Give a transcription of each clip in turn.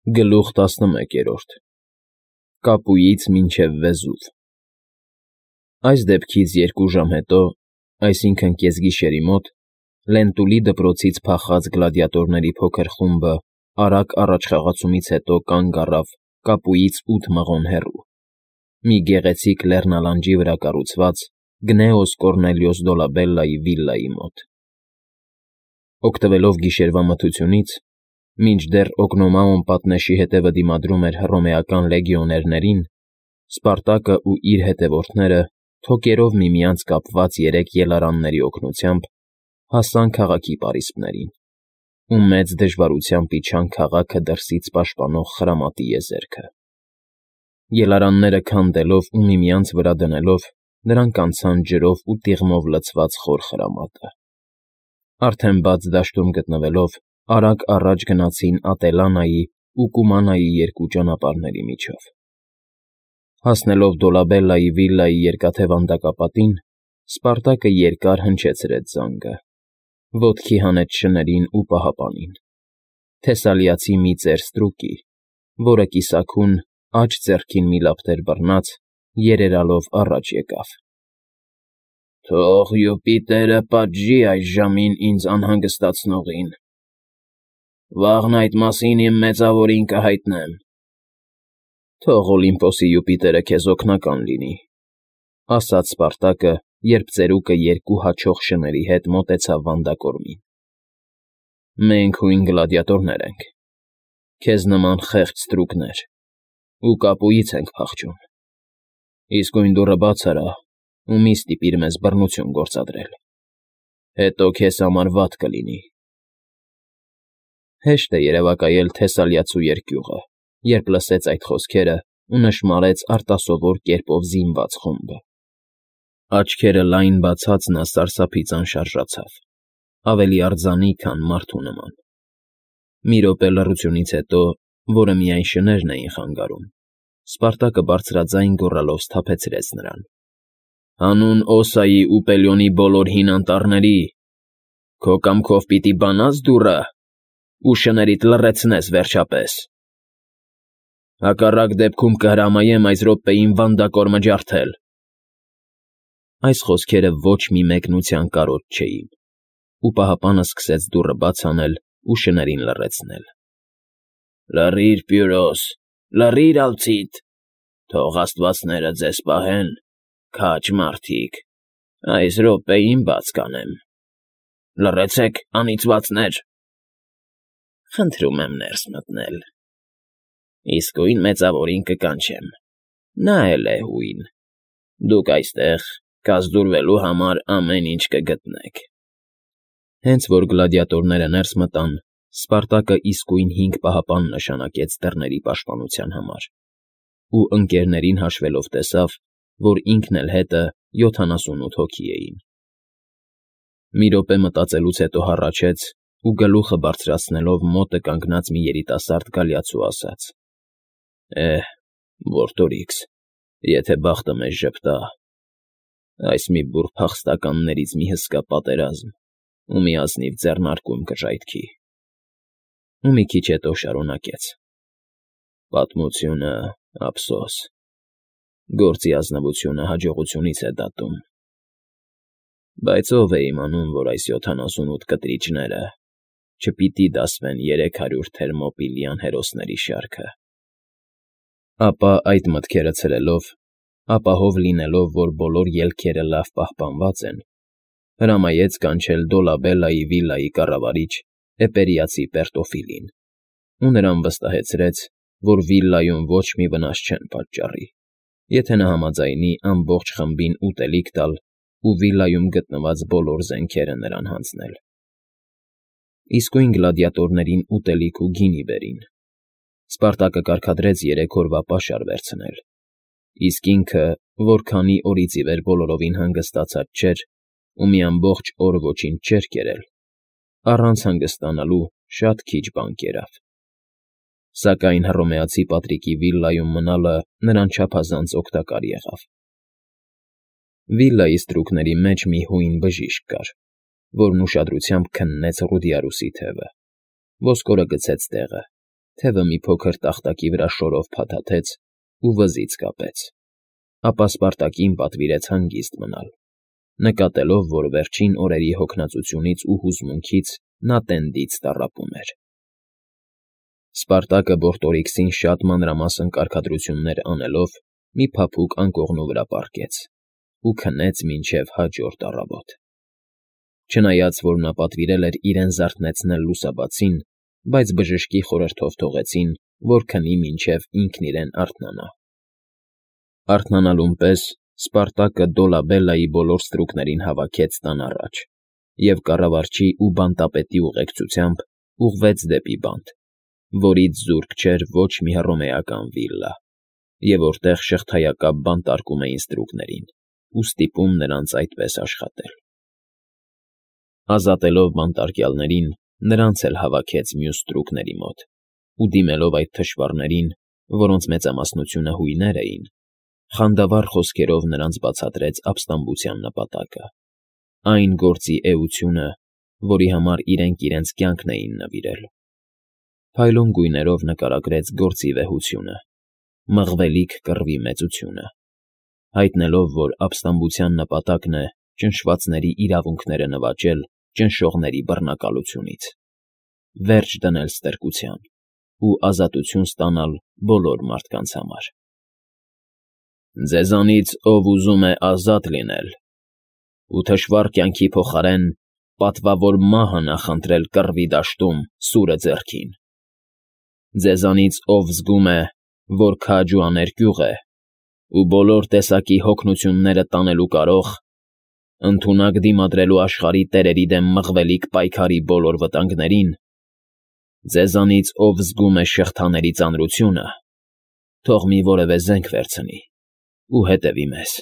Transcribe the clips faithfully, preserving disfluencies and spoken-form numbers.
Գլուխ տասնմեկերորդ Կապույից մինչև Վեզուվ Այս դեպքից երկու ժամ հետո, այսինքն՝ կեսգիշերի մոտ, Լենտուլի դպրոցից փախած գլադիատորների փոքր խումբը արագ առաջխաղացումից հետո կանգ առավ Կապույից ութ մղոն հեռու, մի գեղեցիկ լեռնալանջի վրա կառուցված Գնեոս Կոռնելիոս Դոլաբելլայի վիլլայի մոտ։ Օգտվելով գիշերվա մթությունից, մինչդեռ Օգնոմաոն պատնեշի հետևը դիմադրում էր հռոմեական լեգիոներներին, Սպարտակն ու իր հետևորդները, թոկերով միմյանց կապված երեք ելարանների օգնությամբ, հասան քաղաքի պարիսպներին ու մեծ դժվարությամբ իջան քաղաքը դրսից պաշտպանող խրամատի եզերքը։ Ելարանները քանդելով ու միմյանց վրա դնելով, նրանք անցան ջրով ու տիղմով լցված խոր խրամատը։ Արդեն բաց դաշտում գտնվելով, արագ առաջ գնացին Ատելանայի ու Կումանայի երկու ճանապարհների միջով։ Հասնելով Դոլաբելլայի վիլլայի երկաթե վանդակապատին, Սպարտակը երկար հնչեցրեց զանգը, ոտքի հանեց շներին ու պահապանին։ Թեսալիացի մի ծեր ստրուկի, որը կիսաքուն, աջ ձեռքին մի լապտեր բռնած, երերալով առաջ եկավ։ ֊ Թող Յուպիտերը պատժի այս ժամին ինձ անհանգստացնողին, վաղն այդ մասին իմ մեծավորին կհայտնեմ։ ֊ Թող Օլիմպոսի Յուպիտերը քեզ օգնական լինի, ֊ ասաց Սպարտակը, երբ ծերուկը երկու հաչող շների հետ մոտեցավ վանդակորմին։ ֊ Մենք հույն գլադիատորներ ենք, քեզ նման խեղճ ստրուկներ, ու Կապույից ենք փախչում։ Իսկույն դուռը բաց արա ու մի՛ ստիպիր մեզ բռնություն գործադրել, հետո քեզ համար վատ կլինի։ Հեշտ է երևակայել Թեսալիացու երկյուղը, երբ լսեց այդ խոսքերը ու նշմարեց արտասովոր կերպով զինված խումբը։ Աչքերը լայն բացած նա սարսափից անշարժացավ, ավելի արձանի, քան մարդու նման։ Մի րոպե լռությունից հետո, որը միայն շներն էին խանգարում, Սպարտակը բարձրաձայն գոռալով սթափեցրեց նրան. ֊ Հանուն Օսայի ու Պելիոնի բոլոր հին անտառների, քո կամքով պիտի բանա՞ս դուռը ու շներիդ լռեցնես վերջապես։ Հակառակ դեպքում կհրամայեմ այս րոպեին վանդակորմը ջարդել։ Այս խոսքերը ոչ մի մեկնության կարոտ չէին, ու պահապանը սկսեց դուռը բաց անել ու շներին լռեցնել։ ֊ Լռի՛ր, Պյուրոս, լռի՛ր, ալցիտ, թող աստվածները ձեզ պահեն, քաջ մարդիկ, այս րոպեին բաց կանեմ։ Լռեցեք, անիծվածներ… Խնդրում եմ ներս մտնել։ Իսկույն մեծավորին կկանչեմ, նա էլ է հույն, դուք այստեղ կազդուրվելու համար ամեն ինչ կգտնեք։ Հենց որ գլադիատորները ներս մտան, Սպարտակը իսկույն հինգ պահապան նշանակեց դռների պաշտպանության համար, ու ընկներներին հաշվելով տեսավ, որ ինքն էլ հետը յոթանասունութ հոգի էին։ Մի րոպե մտածելուց հետո հառաչեց ու գլուխը բարձրացնելով մոտը կանգնած մի երիտասարդ գալիացու ասաց. ֊ Է՛հ, Վորտորիքս, եթե բախտը մեզ ժպտա, այս մի բուռ փախստականներից մի հսկա պատերազմ ու մի ազնիվ ձեռնարկում կժայթքի։ Ու մի քիչ հետո շարունակեց. Պատմությունը, ափսոս, գործի ազնվությունը հաջողությունից է դատում։ Բայց ո՞վ է իմանում, որ այս յոթանասունութ կտրիչները չպիտի դասվեն երեք հարյուր Թերմոպիլյան հերոսների շարքը։ Ապա այդ մտքերը ցրելով, ապահով լինելով, որ բոլոր ելքերը լավ պահպանված են, հրամայեց կանչել Դոլաբելլայի վիլլայի կառավարիչ Էպերիացի Պերտոֆիլին ու նրան վստահեցրեց, որ վիլլայում ոչ մի վնաս չեն պատճառի, եթե նա համաձայնի ամբողջ խմբին ուտելիք տալ ու վիլլայում գտնված բոլոր զենքերը նրան հանձնել։ Իսկույն գլադիատորներին ուտելիք ու գինի բերին։ Սպարտակը կարգադրեց երեք օրվա պաշար վերցնել, իսկ ինքը, որ քանի օրից ի վեր բոլորովին հանգստացած չէր ու մի ամբողջ օր ոչինչ չէր կերել, առանց հանգստանալու շատ քիչ բան կերավ։ Սակայն հռոմեացի Պատրիկի վիլլայում մնալը նրան չափազանց օգտակար եղավ։ Վիլլայի ստրուկների մեջ մի հույն բժիշկ կար, որն ուշադրությամբ քննեց Ռուդիարուսի թևը, ոսկորը գցեց տեղը, թևը մի փոքր տախտակի վրա շորով փաթաթեց ու վզից կապեց, ապա Սպարտակին պատվիրեց հանգիստ մնալ, նկատելով, որ վերջին օրերի հոգնածությունից ու հուզմունքից նա տենդից տառապում էր։ Սպարտակը Բորտորիքսին շատ մանրամասն կարգադրություններ անելով մի փափուկ անկողնու վրա պառկեց ու քնեց մինչև հաջորդ առավոտ։ Չնայած որ նա պատվիրել էր իրեն զարթնեցնել լուսաբացին, բայց բժշկի խորհրդով թողեցին, որ քնի մինչև ինքն իրեն արթնանա։ Արթնանալուն պես Սպարտակը Դոլաբելլայի բոլոր ստրուկներին հավաքեց տան առաջ և կառավարչի ու բանտապետի ուղեկցությամբ ուղղվեց դեպի բանտ, որից զուրկ չէր ոչ մի հռոմեական վիլլա, և որտեղ շղթայակապ բանտարկում էին ստրուկներին ու ստիպում նրանց այդպես աշխատել։ Ազատելով բանտարկյալներին, նրանց էլ հավաքեց մյուս ստրուկների մոտ ու դիմելով այդ թշվառներին, որոնց մեծամասնությունը հույներ էին, խանդավառ խոսքերով նրանց բացատրեց ապստամբության նպատակը, այն գործի էությունը, որի համար իրենք իրենց կյանքն էին նվիրել։ Փայլուն գույներով նկարագրեց գործի վեհությունը, մղվելիք կռվի մեծությունը, հայտնելով, որ ապստամբության նպատակն է ճնշվածների իրավունքները նվաճել ճնշողների բռնակալությունից, վերջ դնել ստրկության ու ազատություն ստանալ բոլոր մարդկանց համար։ Ձեզանից ով ուզում է ազատ լինել ու թշվառ կյանքի փոխարեն պատվավոր մահը նախընտրել կռվի դաշտում սուրը ձեռքին, ձեզանից ով զգում է, որ քաջ ու աներկյուղ է ու բոլոր տեսակի հոգնությունները տանելու կարող, ընդունակ դիմադրելու աշխարհի տերերի դեմ մղվելիք պայքարի բոլոր վտանգներին, ձեզանից ով զգում է շղթաների ծանրությունը, թող մի որևէ զենք վերցնի ու հետևի մեզ։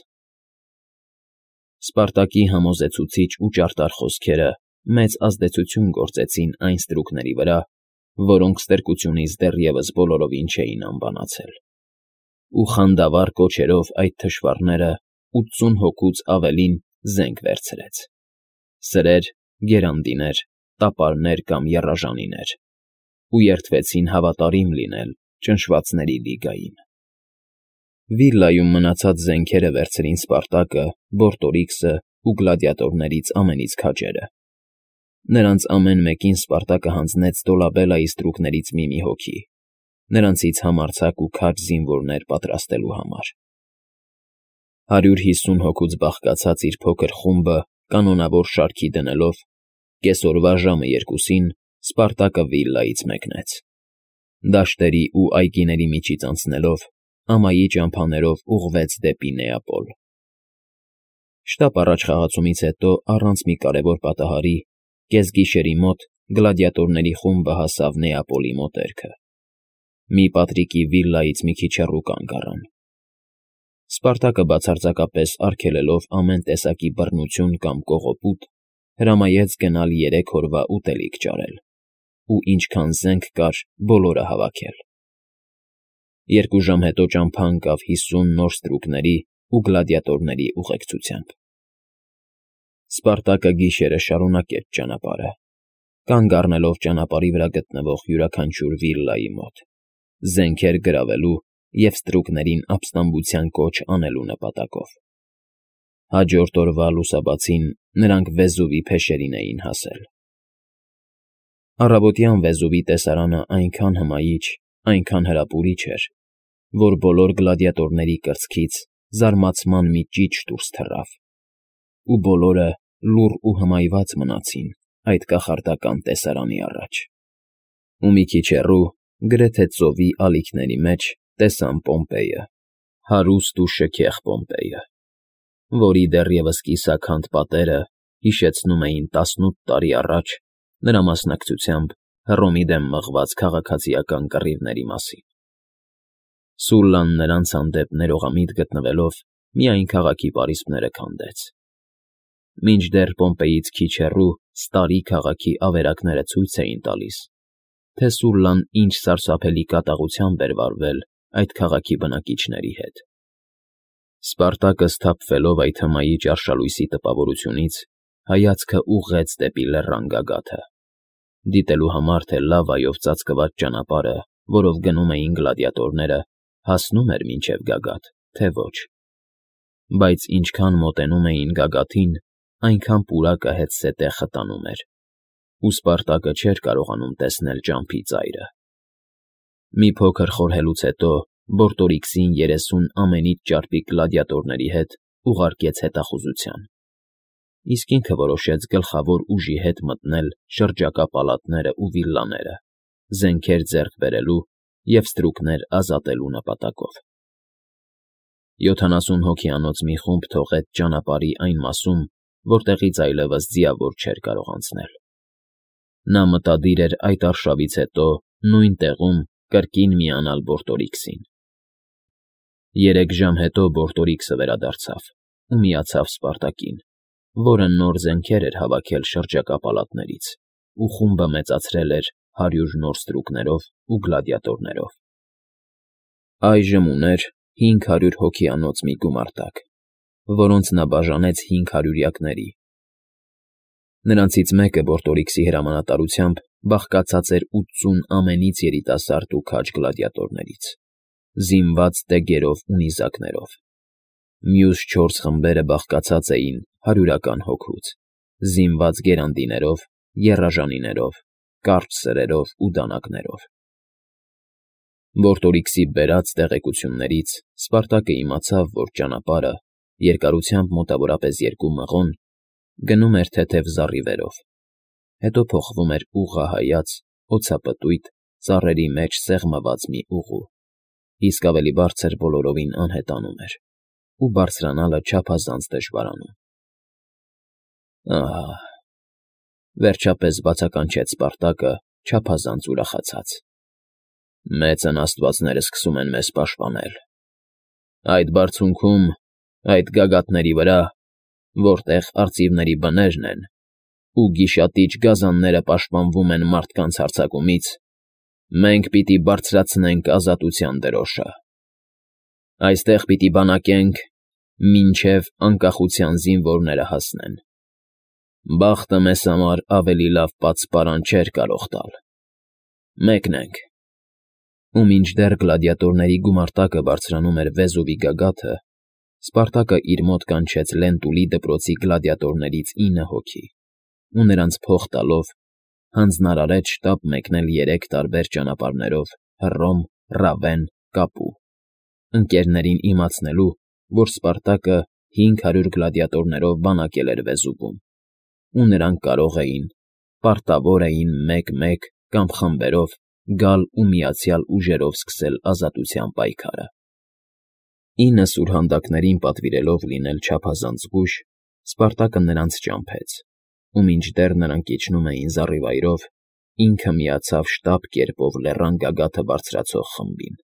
Սպարտակի համոզեցուցիչ ու ճարտար խոսքերը մեծ ազդեցություն գործեցին այն ստրուկների վրա, որոնք ստրկությունից դեռևս բոլորովին չէին անբանացել, ու խանդավառ կոչերով այդ թշվառները ութսուն հոգուց ավելին զենք վերցրեց՝ սրեր, գերանդիներ, տապարներ կամ եռաժանիներ, ու երդվեցին հավատարիմ լինել ճնշվածների լիգային։ Վիլլայում մնացած զենքերը վերցրին Սպարտակը, Բորտորիքսը ու գլադիատորներից ամենից քաջերը։ Նրանց ամեն մեկին Սպարտակը հանձնեց Դոլաբելլայի ստրուկներից մի-մի հոգի, նրանցից համարձակ ու քաջ զինվորներ պատրաստելու համար։ Հարյուր հիսուն հոգուց բաղկացած իր փոքր խումբը կանոնավոր շարքի դնելով, կեսօրվա ժամը երկուսին Սպարտակը վիլլայից մեկնեց, դաշտերի ու այգիների միջից անցնելով, ամայի ճամփաներով ուղղվեց դեպի Նեապոլ։ Շտապ առաջ խաղացումից հետո, առանց մի կարևոր պատահարի, կեսգիշերի մոտ գլադիատորների խումբը հասավ Նեապոլի մոտերքը։ Մի պատրիկի վիլլայից մի քիչ հեռու կանգ առան։ Սպարտակը բացարձակապես արգելելով ամեն տեսակի բռնություն կամ կողոպուտ, հրամայեց գնալ երեք օրվա ուտելիք ճարել ու ինչքան զենք կար, բոլորը հավաքել։ Երկու ժամ հետո ճամփա ընկավ հիսուն նոր ստրուկների ու գլադիատորների ուղեկցությամբ։ Սպարտակը գիշերը շարունակեց ճանապարհը, կանգ առնելով ճանապարհի վրա գտնվող յուրաքանչյուր վիլլայի մոտ, զենքեր գրավելու և ստրուկներին ապստամբության կոչ անելու նպատակով։ Հաջորդ օրվա լուսաբացին նրանք Վեզուվի փեշերին էին հասել։ Առավոտյան Վեզուվի տեսարանը այնքան հմայիչ, այնքան հրապուրիչ էր, որ բոլոր գլադիատորների կրծքից զարմացման մի ճիչ դուրս թռավ, ու բոլորը լուռ ու հմայված մնացին այդ կախարդական տեսարանի առաջ։ Ու մի քիչ հեռու, գրեթե ծովի ալիքների մեջ, տեսան Պոմպեյը, հարուստ ու շքեղ Պոմպեյը, որի դեռևս կիսաքանդ պատերը հիշեցնում էին տասնութ տարի առաջ նրա մասնակցությամբ Հռոմի դեմ մղված քաղաքացիական կռիվների մասին։ Սուլլան նրանց հանդեպ ներողամիտ գտնվելով միայն քաղաքի պարիսպները քանդեց։ Մինչդեռ Պոմպեյից քիչ հեռու Ստարի քաղաքի ավերակները ցույց էին տալիս, թե Սուլլան ինչ սարսափելի կատաղությամբ էր վարվել այդ քաղաքի բնակիչների հետ։ Սպարտակը սթափվելով այդ հմայիչ արշալույսի տպավորությունից, հայացքը ուղղեց դեպի լեռան գագաթը, դիտելու համար, թե լավայով ծածկված ճանապարհը որով գնում էին գլադիատորները, հասնում էր մինչև գագաթ, թե ոչ։ Բայց ինչքան մոտենում էին գագաթին, այնքան պուրակը հետզհետե խտանում էր, ու Սպարտակը չէր կարողանում տեսնել ճամփի ծայրը։ Մի փոքր խորհելուց հետո Բորտորիքսին երեսուն ամենից ճարպիկ գլադիատորների հետ ուղարկեց հետախուզության, իսկ ինքը որոշեց գլխավոր ուժի հետ մտնել շրջակա պալատները ու վիլլաները, զենքեր ձեռք բերելու և ստրուկներ ազատելու նպատակով։ Յոթանասուն հոգիանոց մի խումբ թողեց ճանապարհի այն մասում, որտեղից այլևս ձիավոր չէր կարող անցնել։ Նա մտադիր էր այդ արշավից հետո նույն տեղում կրկին միանալ Բորտորիքսին։ Երեք ժամ հետո Բորտորիքսը վերադարձավ ու միացավ Սպարտակին, որը նոր զենքեր էր հավաքել շրջակա պալատներից, ու խումբը մեծացրել էր հարյուր նոր ստրուկներով ու գլադիատորներով։ Այժմ ուներ հինգ հարյուր հոգիանոց մի գումարտակ, որոնց նա բաժանեց հինգ հարյուրյակների։ Նրանցից մեկը Բորտորիքսի հրամանատարությամբ բաղկացած էր ութսուն ամենից երիտասարդ ու քաջ գլադիատորներից, զինված դեգերով ու նիզակներով։ Մյուս չորս խմբերը բաղկացած էին հարյուրական հոգուց, զինված գերանդիներով, եռաժանիներով, կարճ սրերով ու դանակներով։ Բորտորիքսի բերած տեղեկություններից Սպարտակը իմացավ, որ ճանապարհը, երկարությամբ մոտավորապես երկու մղոն, գնում էր թեթև զառիվերով, հետո փոխվում էր ուղղահայաց, օձապտույտ, ծառերի մեջ սեղմված մի ուղու, իսկ ավելի բարձր բոլորովին անհետանում էր, ու բարձրանալը չափազանց դժվարանում։ Ահա, վերջապես բացականչեց Սպարտակը չափազանց ուրախացած։ Մեծն աստվածները սկսում են մեզ պաշտպանել։ Այդ բարձունքում, այդ գագաթների վրա, որտեղ արծիվների բներն են, ու գիշատիչ գազանները պաշտպանվում են մարդկանց հարձակումից, մենք պիտի բարձրացնենք ազատության դրոշը։ Այստեղ պիտի բանակենք, մինչև անկախության զինվորները հասնեն։ Բախտը մեզ համար ավելի լավ պատսպարան չէր կարող տալ։ Մեկնենք։ Ու մինչդեռ գլադիատորների գումարտակը բարձրանում էր Վեզուվի գագաթը, Սպարտակը իր մոտ կանչեց Լենտուլի դպրոցի գլադիատորներից ինը հոգի, ու նրանց փող տալով հանձնարարեց շտապ մեկնել երեք տարբեր ճանապարհներով Հռոմ, Ռավեն, Կապու, ընկերներին իմացնելու, որ Սպարտակը հինգ հարյուր գլադիատորներով բանակել էր Վեզուվում, ու նրանք կարող էին, պարտավոր էին մեկ֊մեկ կամ խմբերով գալ ու միացյալ ուժերով սկսել ազատության պայքարը։ Ինը սուրհանդակներին պատվիրելով լինել չափազանց զգույշ, Սպարտակը նրանց ճամփեց, ու մինչդեռ նրանք իջնում էին զառիվայրով, ինքը միացավ շտապ կերպով լեռան գագաթը բարձրացող խմբին։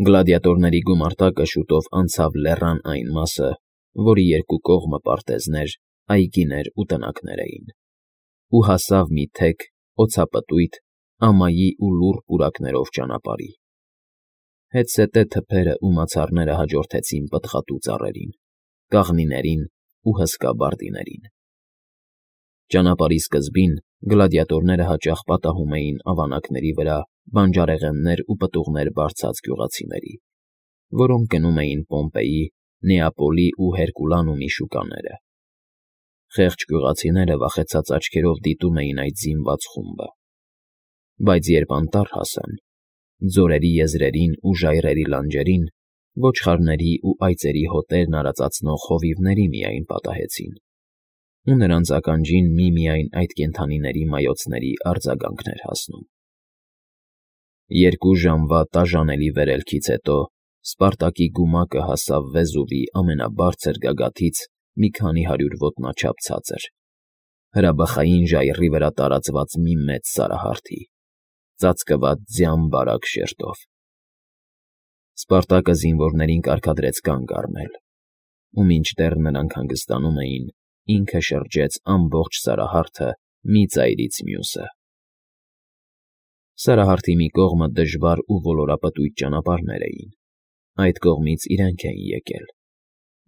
Գլադիատորների գումարտակը շուտով անցավ լեռան այն մասը, որի երկու կողմը պարտեզներ, այգիներ ու տնակներ էին, ու հասավ մի թեք, օձապտույտ, ամայի ու լուռ պուրակներով ճանապարհի։ Հետզհետե թփերը ու մացառները հաջորդեցին պտղատու ծառերին, կաղնիներին ու հսկա բարդիներին։ Ճանապարհի սկզբին գլադիատորները հաճախ պատահում էին ավանակների վրա բանջարեղեններ ու պտուղներ բարձած գյուղացիների, որոնք գնում էին Պոմպեի, Նեապոլի ու Հերկուլանումի շուկաները։ Խեղճ գյուղացիները վախեցած աչքերով դիտում էին այդ զինված խումբը, բայց երբ անտառ հասան, ձորերի եզրերին ու ժայռերի լանջերին ոչխարների ու այծերի հոտերն արածացնող հովիվների միայն պատահեցին, ու նրանց ականջին միմիայն այդ կենդանիների մայոցների արձագանքն էր հասնում։ Երկու ժամվա տաժանելի վերելքից հետո Սպարտակի գումակը հասավ Վեզուվի ամենաբարձր գագաթից մի քանի հարյուր ոտնաչափ ցածր, հրաբխային ժայռի վրա տարածված մի մեծ սարահարթի, ծածկված ձյան բարակ շերտով։ Սպարտակը զինվորներին կարգադրեց կանգ առնել, ու մինչդեռ նրանք հանգստանում էին, ինքը շրջեց ամբողջ սարահարթը մի ծայրից մյուսը։ Սարահարթի մի կողմը դժվար ու ոլորապտույտ ճանապարհներ էին, այդ կողմից իրենք էին եկել,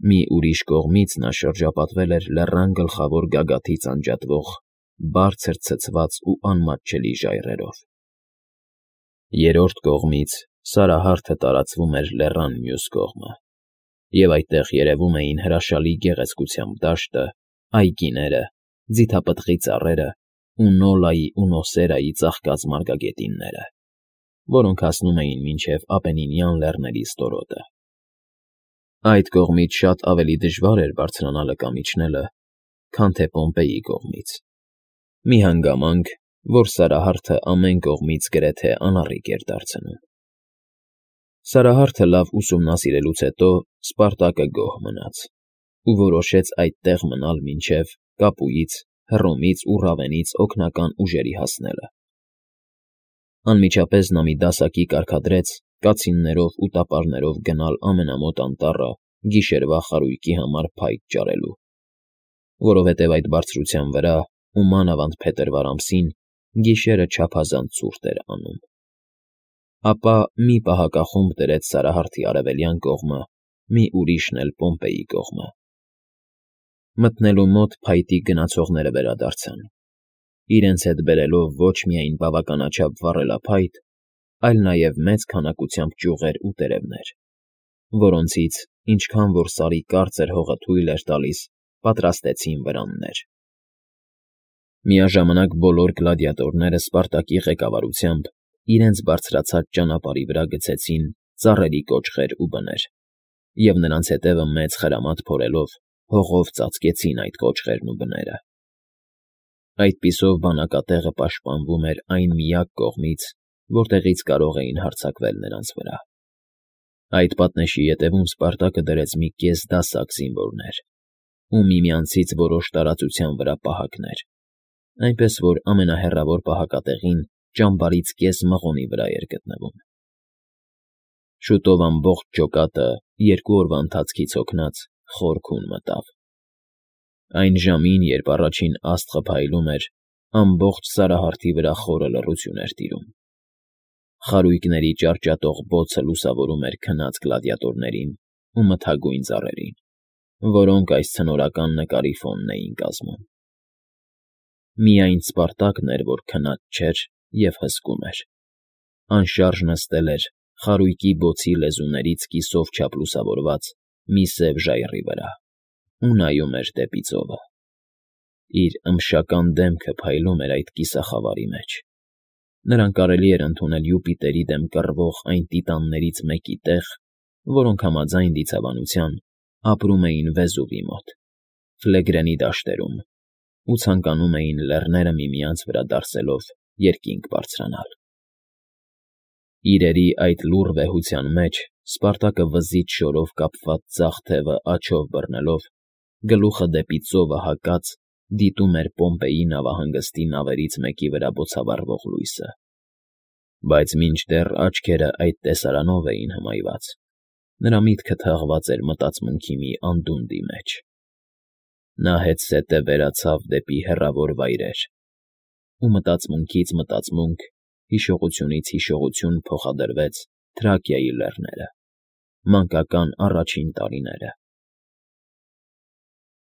մի ուրիշ կողմից նա շրջապատվել էր լեռան գլխավոր գագաթից անջատվող, բարձր ցցված ու անմատչելի ժայռերով։ Երրորդ կողմից սարահարթը տարածվում էր լեռան մյուս կողմը, և այդտեղ երևում էին հրաշալի գեղեցկությամբ դաշտը, այգիները, ձիթապտղի ծառերը ու Նոլայի ու Նոսերայի ծաղկած մարգագետինները, որոնք հասնում էին մինչև Ապենինյան լեռների ստորոտը։ Այդ կողմից շատ ավելի դժվար էր բարձրանալը կամ իջնելը, քան թե Պոմպեյի կողմից, մի հանգամանք, որ սարահարթը ամեն կողմից գրեթե անառիկ էր դարձնում։ Սարահարթը լավ ուսումնասիրելուց հետո Սպարտակը գոհ մնաց ու որոշեց այդտեղ մնալ մինչև Կապուից, Հռոմից ու Ռավենից օգնական ուժերի հասնելը։ Անմիջապես նա մի դասակի կարգադրեց կացիններով ու տապարներով գնալ ամենամոտ անտառը գիշերվա խարույկի համար փայտ ճարելու, որովհետև այդ բարձրության վրա ու մանավանդ փետրվար ամսին գիշերը չափազանց ցուրտ էր անում։ Ապա մի պահակախումբ դրեց սարահարթի արևելյան կողմը, մի ուրիշն էլ Պոմպեյի կողմը։ Մտնելու մոտ փայտի գնացողները վերադարձան, իրենց հետ բերելով ոչ միայն բավականաչափ վառելափայտ, այլ նաև մեծ քանակությամբ ճյուղեր ու տերևներ, որոնցից, ինչքան որ Սարի կարծր հողը թույլ էր տալիս, պատրաստեցին վրաններ։ Միաժամանակ բոլոր գլադիատորները Սպարտակի ղեկավարությամբ իրենց բարձրացած ճանապարհի վրա գցեցին ծառերի կոճղեր ու բներ, և նրանց ետևը մեծ խրամատ փորելով հողով ծածկեցին այդ կոճղերն ու բները։ Այդպիսով բանակատեղը պաշտպանվում էր այն միակ կողմից, որտեղից կարող էին հարձակվել նրանց վրա։ Այդ պատնեշի ետևում Սպարտակը դրեց մի կես դասակ զինվորներ ու միմյանցից որոշ տարածության վրա պահակներ, այնպես որ ամենահեռավոր պահակատեղին ճամբարից կես մղոնի վրա էր գտնվում։ Շուտով ամբողջ ջոկատը, երկու օրվա ընթացքից հոգնած, խոր քուն մտավ։ Այն ժամին, երբ առաջին աստղը փայլում էր, ամբողջ սարահարթի վրա խորը լռություն էր տիրում։ Խարույկների ճարճատող բոցը լուսավորում էր քնած գլադիատորներին ու մթագույն ծառերին, որոնք այս ցնորական նկարի ֆոնն էին կազմում։ Միայն Սպարտակն էր, որ քնած չէր և հսկում էր, անշարժ նստել էր խարույկի բոցի լեզուներից կիսով չափ լուսավորված մի սև ժայռի վրա ու նայում էր դեպի ծովը։ Իր մշական դեմքը փայլում էր այդ կիսախավարի մեջ։ Նրան կարելի էր ընդունել Յուպիտերի դեմ կռվող այն տիտաններից մեկի տեղ, որոնք համաձայն դիցաբանության ապրում էին Վեզուվի մոտ, Ֆլեգրենի դաշտերում ու ցանկանում էին լեռները միմյանց վրա դարսելով երկինք բարձրանալ։ Իրերի այդ լուռ վեհության մեջ Սպարտակը վզից շորով կապված ձախ թևը աջով բռնելով, գլուխը դեպի ծովը հակած, դիտում էր Պոմպեյի նավահանգստի նավերից մեկի վրա բոցավառվող լույսը։ Բայց մինչդեռ աչքերը այդ տեսարանով էին հմայված, նրա միտքը թաղված էր մտածմունքի մի անդունդի մեջ։ Նա հետզհետե վերացավ դեպի հեռավոր վայրեր ու մտածմունքից մտածմունք, հիշողությունից հիշողություն փոխադրվեց Թրակիայի լեռները, մանկական առաջին տարիները,